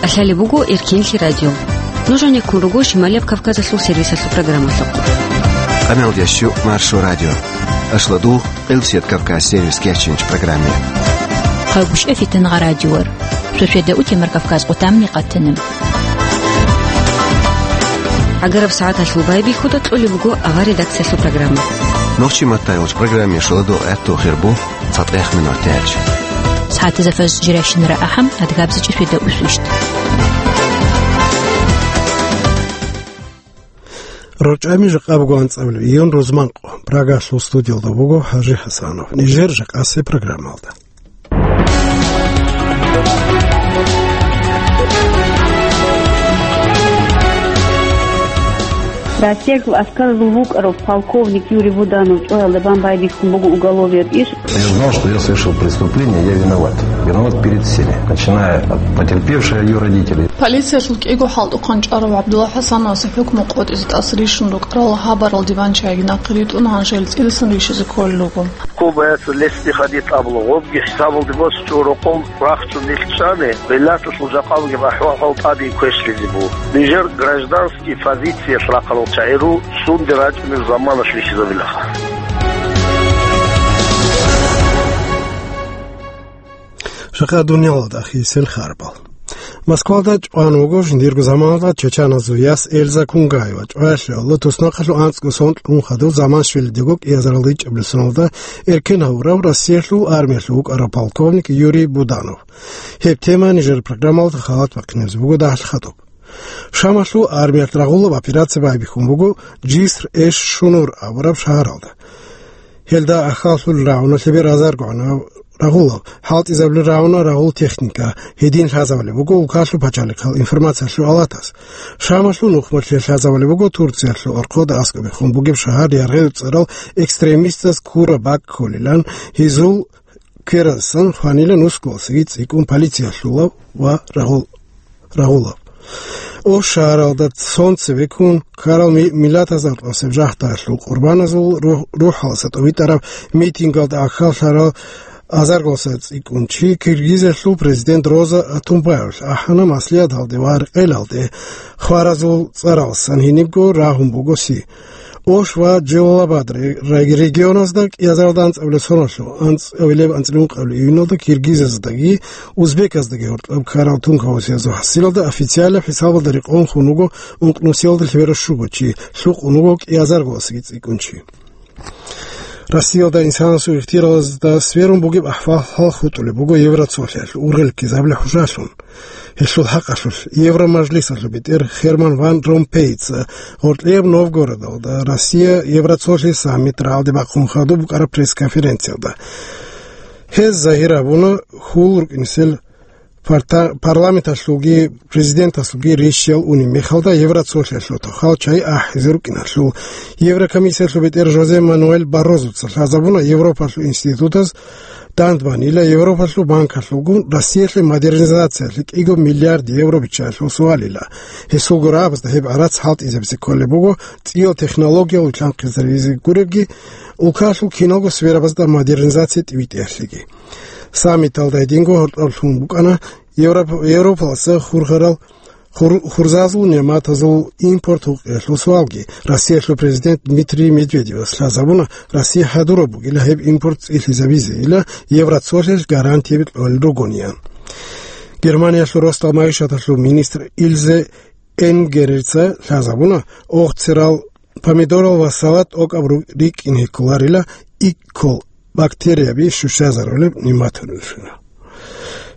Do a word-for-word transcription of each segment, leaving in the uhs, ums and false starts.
ТӀалъалеб буго Эркенлъи радио. Нуж гьанеккун руго Шималияб Кавказалъул сервисалъул программалъухъ. Къамелдящу Маршо радио. Ашладу, Къилсият Кавказ сервис кечинч программе. Хъагушев Фитангъа радиор. Сосведа утемар Кавказ къутамни къатана. ГӀагараб сагӀаталъул байбихьуда кьолеб буго авар редакциялъул программа. Нохчи маттайолч программе шуладу гӀерту хирбу цатӀех минутач. СагӀатазафаз жиращинара ахӀам адгабзичӀи сосведа усвищ. РорчӀами жакъа буго анцӀабилеб июнь рузманкъо. Прагалъул студиялда буго ХӀажи ХӀасанов. Нижер жакъасе программалда. Россиялъул аскаразул вукӀарав полковник Юрий Буданов чӀваялда бан байбихьун буго уголовияб иш. Я знал, что я совершил преступление, я виноват. Виноват перед всеми, начиная от потерпевшей, её родителей. Полициялъул кӀиго хӀалтӀухъан чӀварав ГӀабдулла ХӀасановасе хӀукму къотӀизе тӀаса рищун рукӀарал гьабарал диван чагӀи нахъе ритӀун, гьанже гьел цӀидасан рищизе кколел руго. Кубаялъул лесни хадид абула, гъобги хӀисабалде босичӀого рокъов рахчун нилъ чӀани, гӀиллаталъул жакъа бугеб ахӀвал-хӀал тӀаде квешлъизе буго. Нижер гражданский позициялъ рахъарал чагӀиру сунде рачӀунеб заманалъ рихьизабилаха. Жакъа дуниялалда ахирисел харбал. Москвалда чӀван вуго жиндирго заманалда чечаназул яс Эльза Кунгаева. ЧӀваялъе гӀоло туснахъалъув анцӀго сон кьун хадув Заманшвилидего кӀиазарал ричӀабилеб соналда эркен гьавурав Россиялъул армиялъув вукӀарав полковник Юрий Буданов. Гьеб тема нижер программалда халат бахъинабизе буго дагьалъ хадуб. Шамалъул армиялъ рагъулаб операция байбихьун буго Джиср-эш-Шунур абураб шагьаралда. Гьелда ахаллъулел рагӀуна лъебер азарго гӀанав рагъулав, хӀалтӀизабулел рагӀуна рагъул техника, гьедин лъазабулеб буго улкалъул пачалихъал информациялъул алатас. Шамалъул нухмалъе лъазабулеб буго Турциялъул орхъода аскӀобехун бугеб шагьар Яргъи цӀарал экстремистаз Кура Бак кколилан, гьезул кверасан хванила нусгуялсаги цӀикӀкӀун полициялъулав ва рагъул-, рагъулав. Ош шагьаралда цонцеве ккун ккарал ми-, миллатазул тӀасеб жагьтаялъул къурбаназул рухӀ-, рухӀаласа тӀовитӀараб митингалда ахаллъарал азаргоса цӀикӀкӀун чи Киргизиялъул президент Роза Атунбаевалъ ахӀана маслигӀаталде ва рекъелалде хваразул цӀаралсан гьенибго рагьун буго си. Ош ва Джелалабад ре-, ре-, регионазда кӀиазаралда анцӀабилеб соналъув, анцӀабилеб анцӀила ункъабилеб июналда киргизаздаги узбеказдаги гьоркьоб ккарал тункаусиязул хӀасилалда официалаб хӀисабалда рекъон хун вуго ункънусиялда лъебераб щуго чи, лъукъун вуго кӀиазаргоясги цӀикӀкӀун чи. Россиялда инсанасул ихтияралазда сверун бугеб ахӀвал-хӀал хутӀулеб буго Евроцолъиялъ ургъел ккезабилеб хӀужалъун. Гьелъул хӀакъалъулъ Евромажлисалъул бетӀер Херман ван Ромпейица гъоркьияб Новгородалда Россия-Евроцолъи саммит рагӀалде бахъун хадуб букӀараб пресс-конференциялда гьез загьир гьабуна, хьул рукӀинесел парта-, парламенталъулги президенталъулги рищаял унеб мехалда Евроцолъиялъул тохал чагӀи ахӀизе рукӀиналъул. Еврокомиссиялъул бетӀер Жозе Мануэль Баррозуца лъазабуна Европалъул институтаз дандбанила Европалъул банкалъулгун Россиялъе модернизациялъе кӀиго миллиард евро биччаялъул суалила. Гьесулго рагӀабазда гьеб гӀарац хӀалтӀизабизе кколеб буго цӀиял технологиял вилълъанхъизаризе гуребги, улкалъул киналго сферабазда модернизация тӀибитӀиялъеги. Саммиталда гьединго гьоркьоб лъун букӀана Европ-, Европаласа хурхарал хур-, хурзазул нигӀматазул импорт гьукъиялъул суалги. Россиялъул президент Дмитрий Медведевас лъазабуна, Россия хӀадураб бугила гьеб импорт цӀилъизабизейила Евроцолъиялъ гарантияби кьолел ругониян. Германиялъул росдал магӀишаталъул министр Илзе Энгерица лъазабуна, огъцерал, помидорал ва салат тӀокӀаб ру-, рикӀкӀине кколарила иккол бактерияби щущазарулеб нигӀматалъулъ.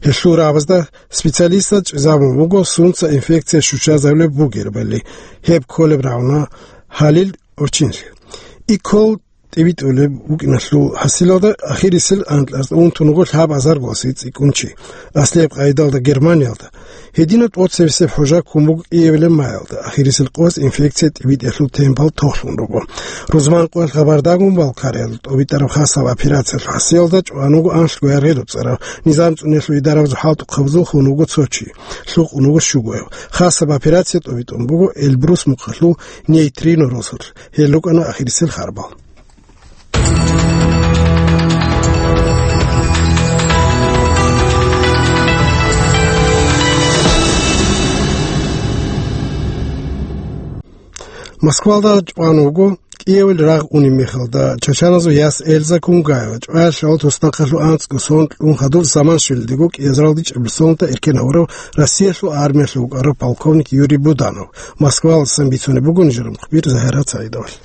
Гьелъул рагӀабазда специалистаз чӀезабун буго сунца инфекция щущазарулеб бугебали, гьеб кколеб рагӀуна гьалил гӀурччинлъи. Иккол тӀибитӀулеб букӀиналъул хӀасилалда ахирисел анкьазда унтун вуго лъабазаргоясги цӀикӀкӀун чи. Аслияб къайдалда Германиялда гьединаб тӀоцебесеб хӀужа ккун буго кӀиабилеб майалда, ахирисел къоялъ инфекция тӀибитӀиялъул темпал тохлъун руго. Рузманкъоялъ Къабардагун-Балкариялда тӀобитӀараб хасаб операциялъул хӀасиялда чӀван вуго анлъго яргъи рукӀараб, низам цӀуниялъул идарабазул хӀалтӀухъабазул хун вуго цо чи, лъукъун вуго щугояв. Хасаб операция тӀобитӀун буго Эльбрус мухъалъул нейтрино росулъ. Гьел рукӀана ахирисел харбал. Москвалда чӀван вуго кӀиявил рагъ унеб мехалда чачаназул яс Эльза Кунгаева, чӀваялъул туснахъалъув анцӀго сон кьун хадуб заман щвелалдего кӀиазаралда чӀеблъисолда эркен гьавурав Россиялъул армиялъул вукӀарав полковник Юрий Буданов. Москвалдасан бицунеб буго нижер мухбир Загьират Саидовалъ.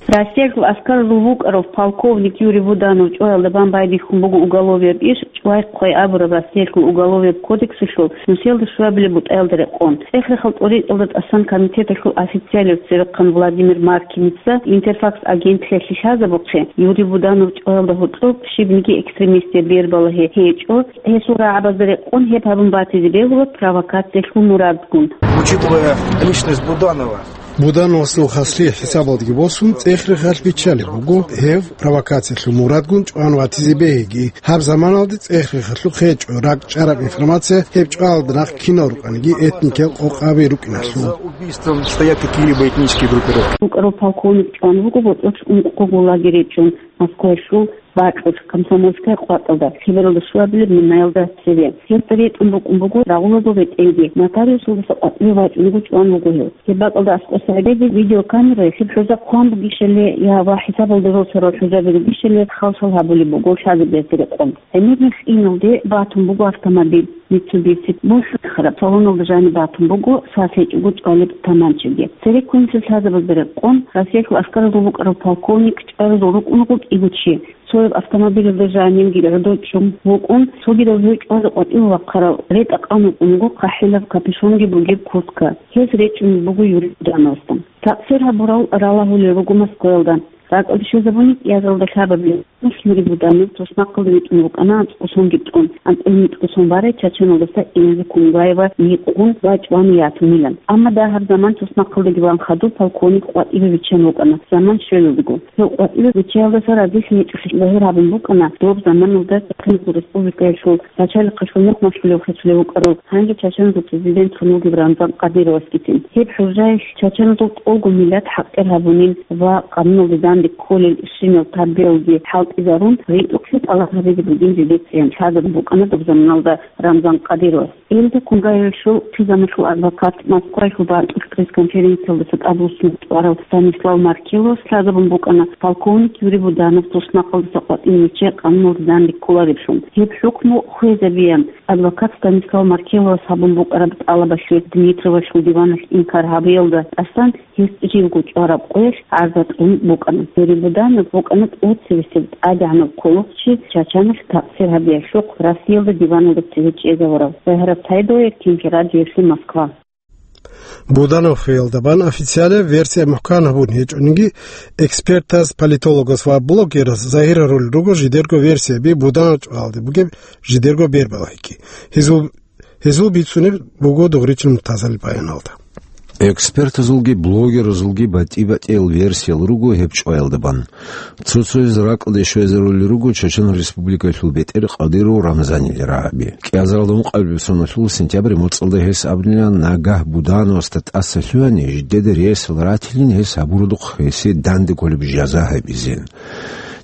Россиялъул аскаразул вукӀарав полковник Юрий Буданов чӀваялда бан байбихьун буго уголовияб иш, чӀвай-хъвай абураб Россиялъул уголовияб кодексалъул нусиялда щуабилеб бутӀаялда рекъон. ЦӀех-рехал тӀоритӀалда тӀасан комитеталъул официалев церехъан Владимир Маркиница Интерфакс агентлъиялъе лъазабухъе, Юрий Буданов чӀваялда гьоркьоб щибниги экстремистияб бер балагьи гьечӀо, гьесул рагӀабазда рекъон гьеб гьабун батизе бегьула провокациялъул мурадгун. Учитывая личность Буданова, Будановасул хаслъи хӀисабалдеги босун, цӀех-рехалъ биччалеб буго гьев провокациялъул мурадгун чӀван ватизе бегьиги. Гьаб заманалде цӀех-рехалъухъ гьечӀо ракӀчӀараб информация гьеб чӀваялда нахъ кинал рукӀаниги этникиял къокъаби рукӀиналъул. За убийством стоят какие-либо этнические группировки. ВукӀарав полковник чӀван вуго боцӀулъ ункъого лагерь речӀчӀун Москваялъул бакьулъ Комсомольская къватӀалда, лъебералда щуабилеб минаялда цеве. Гьесда ретӀун букӀун буго рагъулазул ретӀелги, нотариусалдаса къватӀиве вачӀунго чӀван вуго гьев. Гьеб бакӀалда аскӀоса гӀедеги видеокамералъ гьеб хӀужа хъван бугищали я ва хӀисабалда росарал хӀужаби ругищали хал-шал гьабулеб буго лъазабиялъе рекъон. ГӀемер мехь иналде батун буго автомобиль Mitsubishi, бусурбахъараб салоналда жаниб батун буго сас гьечӀого чӀвалеб таманчаги. Цереккун нилъер лъазабазда рекъон Россиялъул аскаразул вукӀарав полковник чӀваразул рукӀун гъутӀи гучи. Цояб автомобилалда жанивги гӀодов чӀун вукӀун, цогидав гьев чӀвазе къватӀиве вахъарав ретӀа-къан вукӀун вуго хъахӀилаб капюшонги бугеб куртка. Гьез речӀчӀунеб буго Юрий Будановасда. Такъсир гьабурал ралагьулел руго Москваялда. РакӀалде щвезабуни кӀиазаралда лъабабилеб Юрий Буданов туснахъалда витӀун вукӀана анцӀго сонги тӀун, анцӀила микьго сон барай Чачаналдаса Эльза Кунгаева гьикъун ва чӀван ятунилан. Амма дагьаб заман туснахъалдаги ван хадуб полковник къватӀиве виччан вукӀана заман щвелалдаго. Гьев къватӀиве виччаялдаса разилъи гьечӀолъи загьир гьабун букӀана доб заманалда Централизул республикаялъул начальнихъалъул нух малъулев хисулев вукӀарав, гьанже Чачаназул президентун вугев Рамзан Кадыровасгицин. Гьеб хӀужаялъ чачаназул тӀолго миллат хӀакъир гьабунин ва къануналде данде кколел щинал тарбиялги хӀалтӀизарун, ритӀухълъи тӀалаб гьабизе бугин жидецайин лъазабун букӀана доб заманалда Рамзан Кадыровас. Эльза Кунгаевалъул хъизаналъул адвокат Москваялъул бакьулъ пресс-конференциялдаса тӀадвуссун тӀварав Станислав Маркеловас лъазабун букӀана полковник Юрий Буданов туснахъалдаса къватӀиве виччай къануналде данде кколаревлъун. Гьеб хӀукму хвезабеян адвокат Станислав Маркеловас гьабун букӀараб тӀалабалъе Дмитровалъул диваналъ инкар гьабиялда тӀасан гьес живго чӀвараб къоялъ гӀарза кьун букӀана. Юрий Буданов вукӀана тӀоцебесеб тӀадегӀанав кколохъчи Чачаналъ такъсир гьабиялъухъ Россиялда диваналда цеве чӀезавурав. Загьират Саидова, Иркин Хирадиевлъи, Москва. Буданов хвеялда бан официалияб версия мухӀкан гьабун гьечӀониги, экспертаз, политологаз ва блогераз загьир гьарулел руго жидерго версияби Буданов чӀвалде бугеб жидерго бербалайги. Гьезул, гьезул бицунеб буго дугъричил мутазали баяналда. Экспертазулги блогеразулги батӀи-батӀиял версиял руго гьеб чӀваялда бан. Цо-цояз ракӀалде щвезарулел руго Чачан Республикалъул бетӀер Кадыров Рамзанил рагӀаби. КӀиазаралда ункъабилеб соналъул сентябрь моцӀалда гьес абунилан, нагагь Будановасда тӀаса лъугьани, жидеда ресал ратилин гьес гьабурудухъ гьесие данде кколеб жаза гьабизин.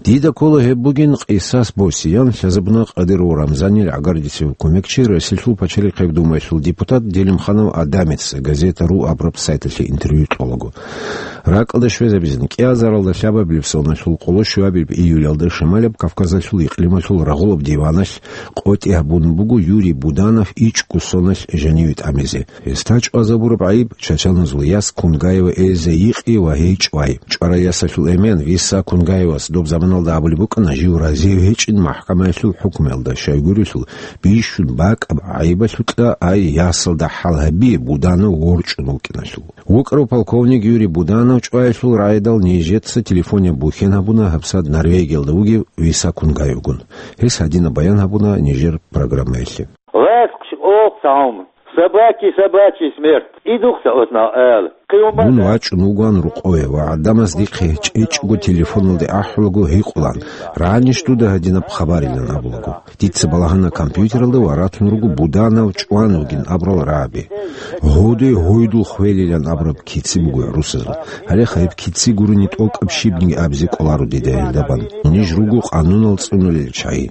Дида ккола гьеб бугин къисас босиян, лъазабуна Кадыров Рамзанил гӀагардисев кумекчи, Россиялъул пачалихъеб думаялъул депутат Делимханов Адамица газета ру абураб сайталъе интервью кьолаго. РакӀалда щвезабизин, кӀиазаралда лъабабилеб соналъул къоло щуабилеб июлялда Шамалияб Кавказалъул икълималъул рагъулаб диваналъ къотӀи гьабун буго Юрий Буданов ичӀго соналъ жаниве тӀамизе. Гьесда чӀвазабураб гӀайиб Чачаназул яс Кунгаева Эльза йикъи ва гьей чӀвай. ЧӀварай ясалъул эмен Виса Кунгаевас доб заманалда абулеб букӀана жив разив гьечӀин махӀкамаялъул хӀукмуялда, щайгурелъул бищун бакӀаб гӀайибалъукьа ай ясалда хӀал гьабизе Буданов ворчӀун вукӀиналъул. ВукӀарав полковник Юрий Буданов чӀваялъул рагӀидал нижеца телефонияб бухьен гьабуна гьабсагӀат Норвегиялда вугев Виса Кунгаевгун. Гьес гьадинаб баян гьабуна нижер программаялъе. Васкъ охъ цаун, собаки собачий смерть. Идухъ цаотна эл. Къиюм Мун база. ВачӀун вугоан рукъове ва гӀадамаз дихъе чӀечӀого телефоналде ахӀулаго гьикъулан, рагӀанищ дуда гьадинаб хабарилан абулаго. Дица балагьана компьютералда ва ратун руго Буданов чӀван вугин абурал рагӀаби. Гьодой гьойдул хвелилан абураб кици буго гӀурусазул. Гьале гьеб кици гурони тӀокӀаб щибниги абизе кӀоларо дида гьелдабан. Ниж руго къанунал цӀунулел чагӀи.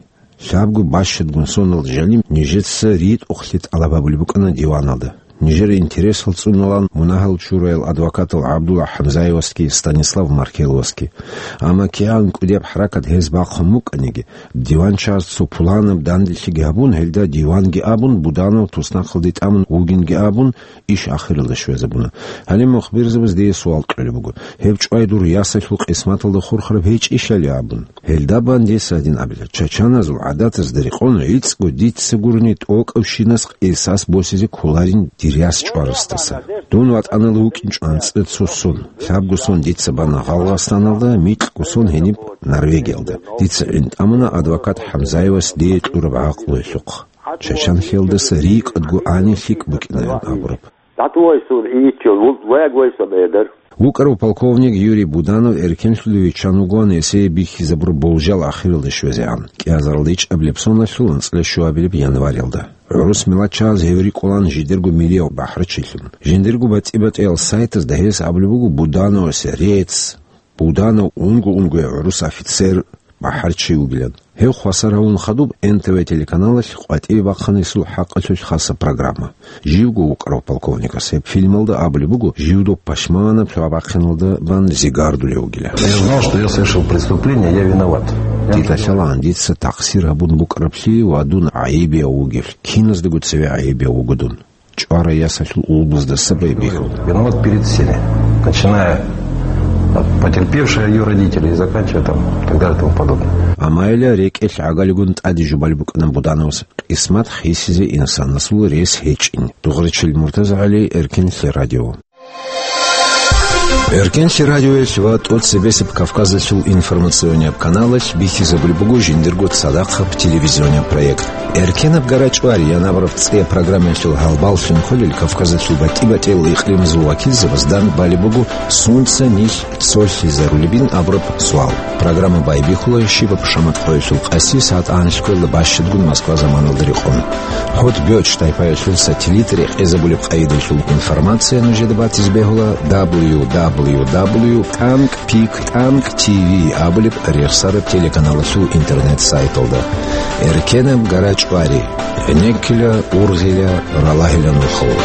Лъабго бащадгун соналда жаниб нижеца ритӀухълъи тӀалаб гьабулеб букӀана диваналда. нижер интересал цӀуналан мунагьал чураял адвокатал ГӀабдулла ХӀамзаевасги Станислав Маркеловасги. Амма кигӀан кӀудияб хӀаракат гьез бахъун букӀаниги, диванчагьаз цо пуланаб данделъиги гьабун, гьелда диванги абун, Буданов туснахъалде тӀамун вугинги абун, иш ахиралда щвезабуна. Гьале мухбирзабаз дие суал кьолеб буго. Гьеб чӀвай дур ясалъул къисматалда хурхараб гьечӀищали абун. Гьелда бан дица гьадин абила: чачаназул гӀадатазда рекъон, гӀицӀго дица гурони тӀокӀабщинас къисас босизе кколарин дир яс чӀварасдаса. Дун ватӀаналда вукӀинчӀо анцӀила цо сон. Лъабго сон дица бана Гъалгъастаналда, микьго сон гьениб Норвегиялда. Дица гӀин тӀамуна адвокат ХӀамзаевас дие кьураб гӀакълуялъухъ. Чачанлъиялдаса рикӀкӀадго гӀани лъикӀ букӀинаян абураб. ДатӀугъайсун ийиччо, ву-, вегвайса бедар. ВукӀарав полковник Юрий Буданов эркенлъулев виччан вугоан эсее бихьизабураб болжал ахиралде щвезегӀан, кӀиазаралда ичӀабилеб соналъул анцӀила щуабилеб январилда. ГӀурус миллатчагьаз гьев рикӀкӀолан жидерго милияв бахӀарчилъун. Жиндирго батӀи-батӀиял сайтазда гьес абулеб буго Будановасе рецц, Буданов унго-унгояв гӀурус офицер, бахӀарчи вугилан. Гьев хвасар гьавун хадуб Н Т В телеканалалъ къватӀиве бахъанилъул хӀакъалъулъ хаса программа. Живго вукӀарав полковникас гьеб фильмалда абулеб буго, жив доб пашманаб лъугьа-бахъиналда бан зигардулев вугилан. Я знал, что я совершил преступление, я виноват. Дида лъалаан дица такъсир гьабун букӀараблъи ва дун гӀайибияв вугевлъи, киназдаго цеве гӀайибияв вуго дун. ЧӀварай ясалъул улбуздаса байбихьун. Виноват перед всеми, начиная от потерпевшей, её родителей, и заканчивая там, так далее и тому подобное. Амайла рекӀелъ гӀагалигун тӀаде жубалеб букӀана Будановас, къисмат хисизе инсанасул рес гьечӀин. Дугъричил МуртазагӀали, Эркенлъи радио. Эркенлъи радиоялъ ва тӀоцебесеб Кавказалъул информационнияб каналалъ бихьизабулеб буго жиндирго цадахъаб телевизионияб проект. «Эркенаб гара чӀвари» янабураб цӀияб программаялъул гьалбаллъун кколел Кавказалъул батӀи-батӀиял икълимазул вакилзабазда балеб буго, сунца нилъ цолъизарулебин абураб суал. Программа байбихьула щибаб шамат къоялъул къаси сагӀат анлъго бащадгун Москва заманалда рекъон. ХӀотӀ бётӀщ тайпаялъул сателлит рекъезабулеб къайдалъул информация нужеда батизе бегьула дабл ю дабл ю дабл ю тӀанкӀ пик тӀанкӀ ти ви абулеб рехсараб телеканалалъул интернет-сайталда. Эркенаб гара чӀвари, гӀенеккила, ургъила, ралагьила нухалъ.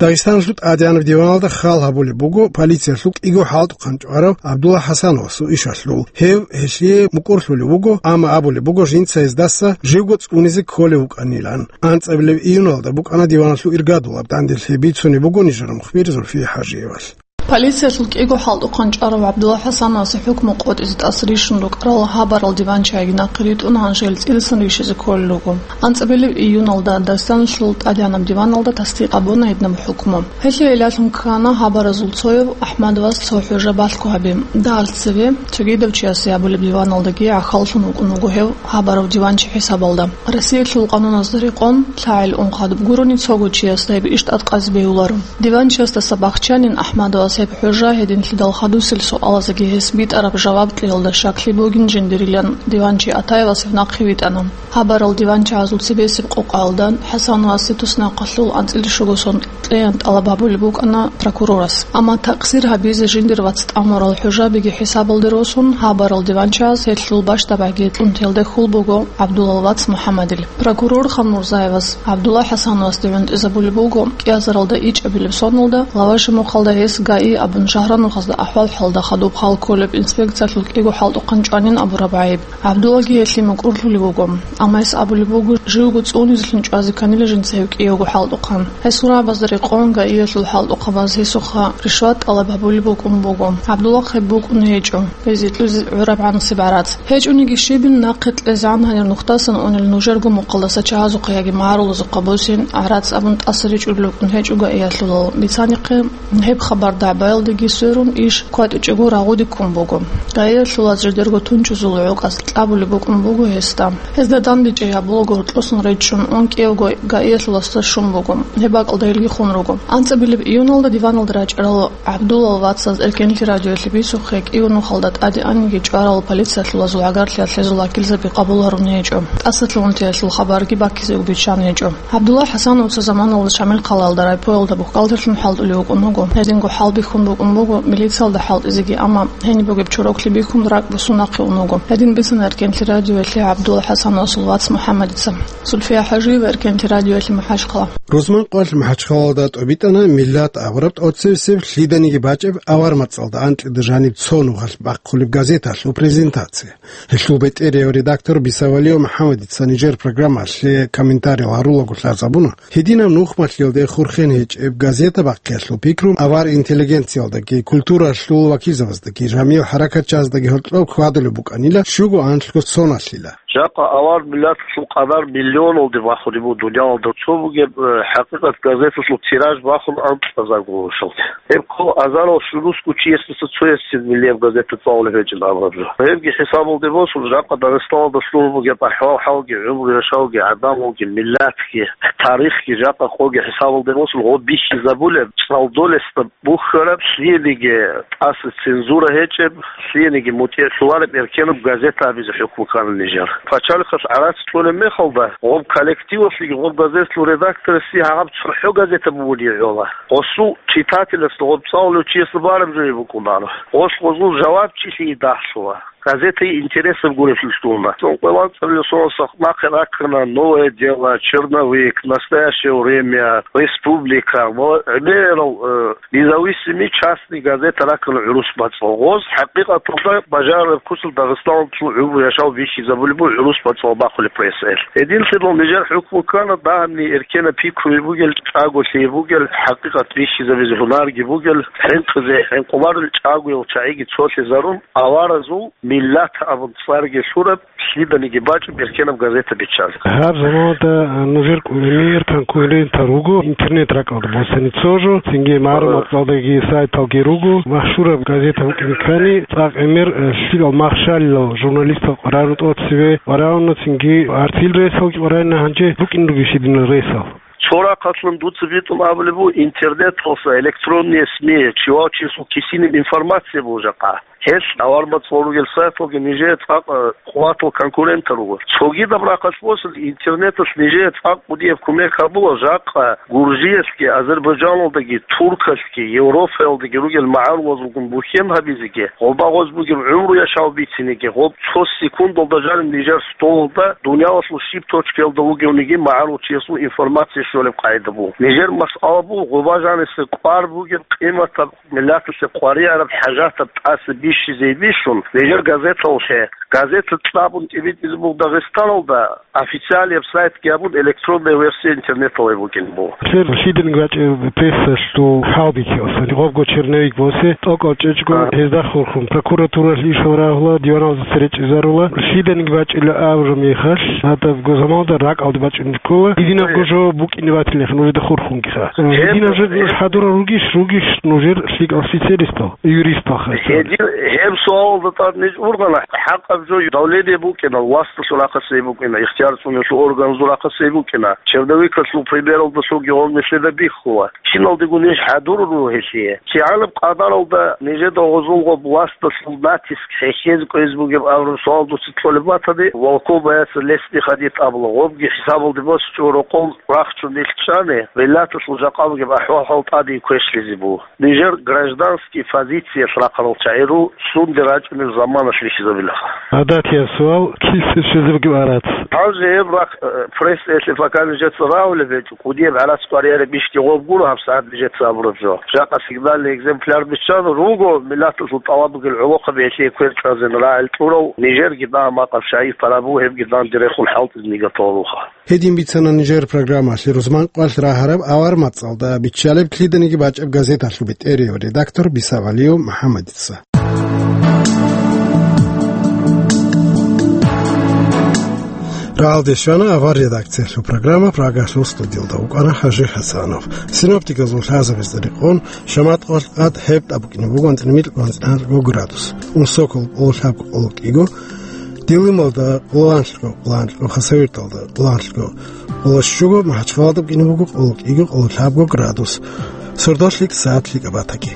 Дагъистаналъул тӀадегӀанаб диваналда хал гьабулеб буго полициялъул кӀиго хӀалтӀухъан чӀварав ГӀабдулла ХӀасановасул ишалъул. Гьев гьелъие мукӀурлъулев вуго, амма абулеб буго жинца гьездаса живго цӀунизе кколев вукӀанилан. АнцӀабилеб июналда букӀана диваналъул иргадулаб данделъи, бицунеб буго нижер мухбир Зульфия ХӀажиевалъ. Полициялъул кӀиго хӀалтӀухъан чӀварав ГӀабдулла ХӀасановасе хӀукму къотӀизе тӀаса рищун рукӀарал гьабарал диванчагьги нахъе ритӀун, гьанже гьел цӀидасан рищизе кколел руго. АнцӀабилеб июналда Дагъистаналъул тӀадегӀанаб диваналда тасдикъ гьабуна гьединаб хӀукму. Гьелъие гӀиллалъун ккана гьабаразул цояв АхӀмадовас цо хӀужа балъго гьаби. Дагьал цеве цогидав чиясе гьабулеб диваналдаги гӀахьаллъун вукӀун вуго гьев гьабарав диванчи хӀисабалда. Россиялъул къануназда рекъон, лъагӀел ун хадуб гурони цого чиясда гьеб иш тӀадкъазе бегьуларо. Диванчиясдаса бахчанин АхӀмадовас гьеб хӀужа, гьединлъидал хадусел суалазеги гьес битӀараб жаваб кьеялда щаклъи бугин жиндирилан диванчи Атаевас гьев нахъе витӀана. Гьабарал диванчагьазул цебесеб къокъаялда ХӀасановасе туснахъалъул анцӀила щуго сон кьеян тӀалаб гьабулеб букӀана прокурорас. Амма такъсир гьабизе жиндир вац тӀамурал хӀужабиги хӀисабалде росун, гьабарал диванчагьаз гьелъул бащдабагӀги кьунтиялде хьул буго ГӀабдуллал вац МухӀаммадил. Прокурор Ханмурзаевас ГӀабдулла ХӀасановасде гӀунтӀизабулеб буго кӀиазаралда ичӀабилеб соналда, Лаваши мухъалда гьес ГАИ абун шагьранухъазда ахӀвал-хӀалда хадуб хал кколеб инспекциялъул кӀиго хӀалтӀухъан чӀванин абураб гӀайиб. ГӀабдуллаги гьелъие мукӀурлъулев вуго, амма гьес абулеб буго, живго цӀунизелъун чӀвазе кканила жинца гьев кӀиявго хӀалтӀухъан. Гьесул рагӀабазда рекъон ГАИялъул хӀалтӀухъабаз гьесухъа ришват тӀалаб гьабулеб букӀун буго. ГӀабдулла гьеб букӀун гьечӀо. Гьезие кьезе гӀураб гӀанасеб гӀарац. ГьечӀониги щибин, нахъе кьезегӀан гьанир нухдасан унел нужерго мухъалдаса чагьазухъа яги магӀарулазухъа босин гӀарац абун тӀаса ричӀулел рукӀун гьечӀо ГАИялъулал. Бицанихъе, гьеб хабар дагӀбаялдеги сверун, иш кватӀичӀого рагъуде ккун буго. ГАИялъулаз жидерго тунчӀузул гӀукӀаз кьабулеб букӀун буго гьесда. Гьезда дандечӀей гьабулаго гьоркьосан речӀчӀун ун кӀиявго ГАИялъуласда щун буго. Гьеб бакӀалда гьелги хун руго. АнцӀабилеб июналда диваналда рачӀарал ГӀабдуллал вацаз Эркенлъи радиоялъе бицухъе кӀиго нухалда тӀаде аниги чӀварал полициялъулазул гӀагарлъиялъ гьезул вакилзаби къабул гьарун гьечӀо. ТӀасалъугӀунтиялъул хабарги баккизе биччан гьечӀо. ГӀабдулла ХӀасановаца заманалда Шамил хъалаялда райпоялда бухгалтерлъун хӀалтӀулев вукӀун вуго. Гьединго хӀалби Хьун букӀун буго милициялда хӀалтӀизеги, амма гьениб бугеб чороклъи бихьун ракӀ босун нахъе ун вуго. Гьедин бицана Эркенлъи радиоялъе ГӀабдулла ХӀасанасул вац МухӀаммадица. Зульфия ХӀажиева Эркенлъи радиоялъе МахӀачхъала. Рузманкъоялъ МахӀачхъалалда тӀобитӀана «Миллат» абураб тӀоцебесеб лъиданиги бачӀеб авар мацӀалда анкьида жаниб цо нухалъ бахъулеб газеталъул презентация. Гьелъул бетӀерияв редактор Бисавалиев МухӀаммадица нижер программалъе комментарий гьарулаго лъазабуна, гьединаб нухмалъиялде хурхен гьечӀеб газета бахъиялъул пикру авар интеллигенциялдаги, культуралъул вакилзабаздаги, жамигӀ хӀаракатчаздаги гьоркьоб хьвадулеб букӀанила щуго анлъго соналъила. Жакъа авар миллаталъул къадар миллионалде бахулеб буго дуниялалда. Цо бугеб, э, хӀакъикъат газеталъул тираж бахун анкьазарго гьоркьоб. Гьеб ккола азарал щурусго чиясдаса цоясцин миллияб газета цӀалулеб гьечӀин абураб жо. Гьебги хӀисабалде босун, жакъа Дагъистаналда лъугьун бугеб ахӀвал-хӀалги, гӀумру-яшавги, гӀадамалги, миллатги, тарихги, жакъа къоги хӀисабалде босун, гъоб бихьизабулеб, цӀалдолесда бухьараб, лъиениги тӀаса цензура гьечӀеб, лъиениги мутӀигӀлъулареб эркенаб газета гьабизе хӀукму ккана нижер. Пачалихъалъ гӀарац кьолеб мехалда, гъоб коллективалъеги гъоб газеталъул редакторасеги гьаб цохӀо газета бугони гӀола. Гъосул читателасда, гъоб цӀалулев чиясда бараб жо букӀунаро. Гъос гъозул жавабчилъи дагьлъула. Газетаги интересаб гурелъул лъугьуна. Цо къвалан цӀалулел соналъ нахъе раккана «Новое дело», «Черновик», «Настоящее время», «Республика» ва гӀемерал, э, независимый частный газета раккана гӀурус бацӀцӀал. Гъоз хӀакъикъаталда бажарараб куцалъ Дагъистаналъул гӀумру-яшав бихьизабулеб буго гӀурус бацӀцӀал бахулеб прессаялъ. Гьединлъидал нижер хӀукму ккана, дагьабни эркенаб пикруги бугел, чӀаголъиги бугел, хӀакъикъат бихьизабизе гьунарги бугел, хӀинкъизе хӀинкъуларел чӀагоял чагӀиги цолъизарун, аваразул миллат абун цӀарги лъураб, лъиданиги бачӀеб эркенаб газета биччан. Гьаб заманалда нужер кӀудиял конкурентал руго интернет ракӀалда босани цо жо, цинги магӀлуматалдаги сайталги руго, машгьураб газета букӀине ккани, цӀакъ гӀемер, э, лъикӀал махщалилал журналистал къваригӀуна тӀоцебе, къваригӀуна цинги гӀартил рейсалги къваригӀуна, гьанже букӀине ругищ гьединал рейсал? Цо рахъалъан дуца битӀун абулеб буго, интернеталъа, электронные СМИ, чи вав чиясул кисиниб информация буго жакъа. Гьелъ авар мацӀал ругел сайталги нижее цӀакъ, э, къуватал конкурентал руго. Цогидаб рахъалъ босун, интернеталъ нижее цӀакъ кӀудияб кумек гьабула, жакъа Гуржиялъги, Азербайджаналдаги, Туркалъги, Европаялдаги ругел магӀарулазулгун бухьен гьабизеги, гъоба гъоз бугеб гӀумру-яшав бицинеги, гъоб цо секундалда жаниб нижер столалда дуниялалъул щиб точкаялда вугевниги магӀарул чиясул информация щолеб къагӀида буго. Нижер масъала буго, гъоба жаниса кӀвар бугеб къиматаб миллаталъе къваригӀараб хӀажатаб тӀаса бищизе бищун, нижер газеталъе, газета цӀабун тӀибитӀизе буго Дагъистаналда, официалияб сайтги абун, электронная версия интернеталай букӀин буго. Лъиданиги бачӀеб прессалъул хӀалбихьиялъ, гъобго черновик босе, тӀокӀал чӀечӀго, ага, гьезда хурхун, прокуратуралъ ишал рагьула, диваналдаса речӀчӀизарула, лъиданиги бачӀила абураб мехалъ, гьадабго заманалда ракӀалде бачӀунеб ккола. Гьединабго жо букӀине батилаха нужеда хурхунгиха. Э, гьеб, гьединаб жо нуж гьеб хӀадурал ругищ, ругищ нужер лъикӀал специалистал, юристалха? Гьедин, гьеб суалалда тӀад ниж ургъана, хӀакъаб жо давление букӀина, власталъул рахъалъ гьеб букӀина, ихтияр цӀунулъул органазул рахъалъ гьеб букӀина. Черновикалъул примералдалъунги гьев нилъеда бихьула. Киналдего ниж хӀадурун руго гьелъие. КигӀанаб къадаралда нижеда гъозулго власталъул натиск хӀехьезе кӀвезе бугеб абураб суал дуца кьолеб батани, волков боятся лезть не ходить абула, гъобги хӀисабалде босичӀого рокъов рахчун нилъ чӀани, миллаталъул жакъа бугеб ахӀвал-хӀал тӀаде квешлъизе буго. Нижер гражданский позициялъ рахъарал чагӀи руго, цунде рачӀунеб заманалъ бихьизабилаха. ГӀадатияб суал, киса щвезе бугеб гӀарац? Гьанже гьеб рахъ, э, прессаялъе пока нижеца рагьулеб гьечӀо, кӀудияб гӀарац къваригӀараб ишги гъоб гуро гьабсагӀат нижеца абураб жо. Жакъа сигнальный экземпляр биччан, руго миллаталъул тӀалаб бугел гӀолохъаби гьелъие квер чӀвазен рагӀи кьурав, нижерги дагьа-макъаб шагьид пара буго, гьебги данде рехун хӀалтӀизе нигаталаруха. Гьедин бицана нижер программалъе рузман къвалъ рагьараб авар мацӀалда биччалеб лъиданиги бачӀеб газеталъул бетӀерияв редактор Бисавалиев МухӀаммадица. Рагьалде щвана авар редакциялъул программа, Прагалъул студиялда вукӀана ХӀажи ХӀасанов. Синоптиказул лъазабазда рекъон, шамат къвалъ къад гьеб тӀабукӀине бугон тӀимил гъанцӀ-гьанкьго градус. Унсокол къоло лъабго къоло кӀиго, Дилималда къоло анлъго, къоло анлъго, Хасавюрталда къоло анлъго, къоло щуго, МахӀачхъалада букӀине буго къоло кӀиго, къоло лъабго градус. Сордолъи сагӀат лъикӀаб батаги.